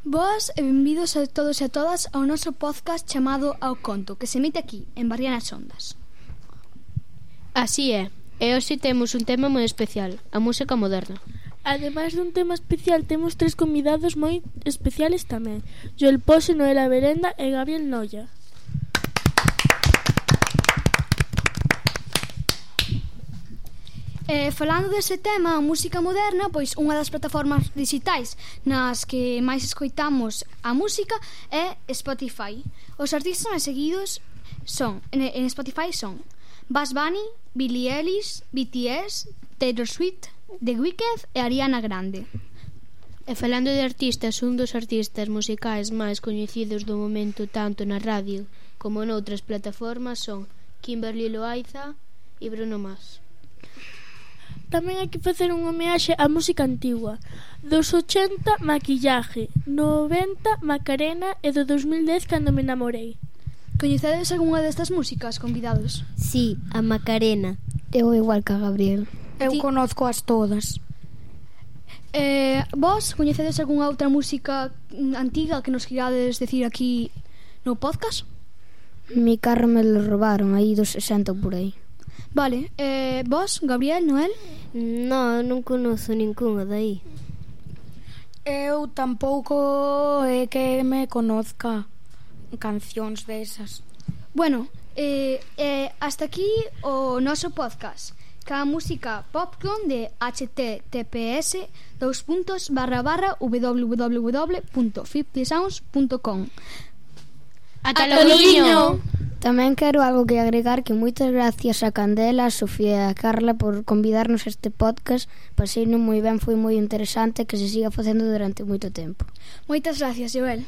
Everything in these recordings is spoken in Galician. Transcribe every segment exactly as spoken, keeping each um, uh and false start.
Boas e benvidos a todos e a todas ao noso podcast chamado Ao Conto, que se emite aquí, en Barrianas Ondas. Así é, e hoxe temos un tema moi especial, a música moderna. Ademais dun tema especial, temos tres convidados moi especiales tamén: Joel Pose, Noela Berenda e Gabriel Noia. Eh, falando dese tema, a música moderna, pois unha das plataformas digitais nas que máis escoitamos a música é Spotify. Os artistas máis seguidos son en, en Spotify son Bad Bunny, Billie Eilish, B T S, Taylor Swift, The Weeknd e Ariana Grande. E falando de artistas, un dos artistas musicais máis coñecidos do momento tanto na radio como noutras plataformas son Kimberly Loaiza e Bruno Mars. Tamén hai que facer unha homeaxe á música antigua. Dos ochenta, Maquillaje; noventa, Macarena; e do dos mil dez, Cando me namorei. Coñecedes algunha destas músicas, convidados? Sí, a Macarena. Eu igual que a Gabriel. Eu Ti... conozco as todas. Eh, vos coñecedes algunha outra música antiga que nos quirades decir aquí no podcast? Mi carro me lo robaron aí dos sesenta por aí. Vale, eh, vos, Gabriel, Noel? No, non conozo ninguna dai. Eu tampouco é que me conozca cancións desas. Bueno, eh, eh, hasta aquí o noso podcast ca música Popcorn de https dos puntos barra barra www punto fifty sounds punto com. Ata logo! Tamén quero algo que agregar, que moitas gracias a Candela, a Sofía e a Carla por convidarnos a este podcast. Paseino moi ben, foi moi interesante, que se siga facendo durante moito tempo. Moitas gracias, Joel.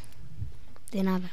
De nada.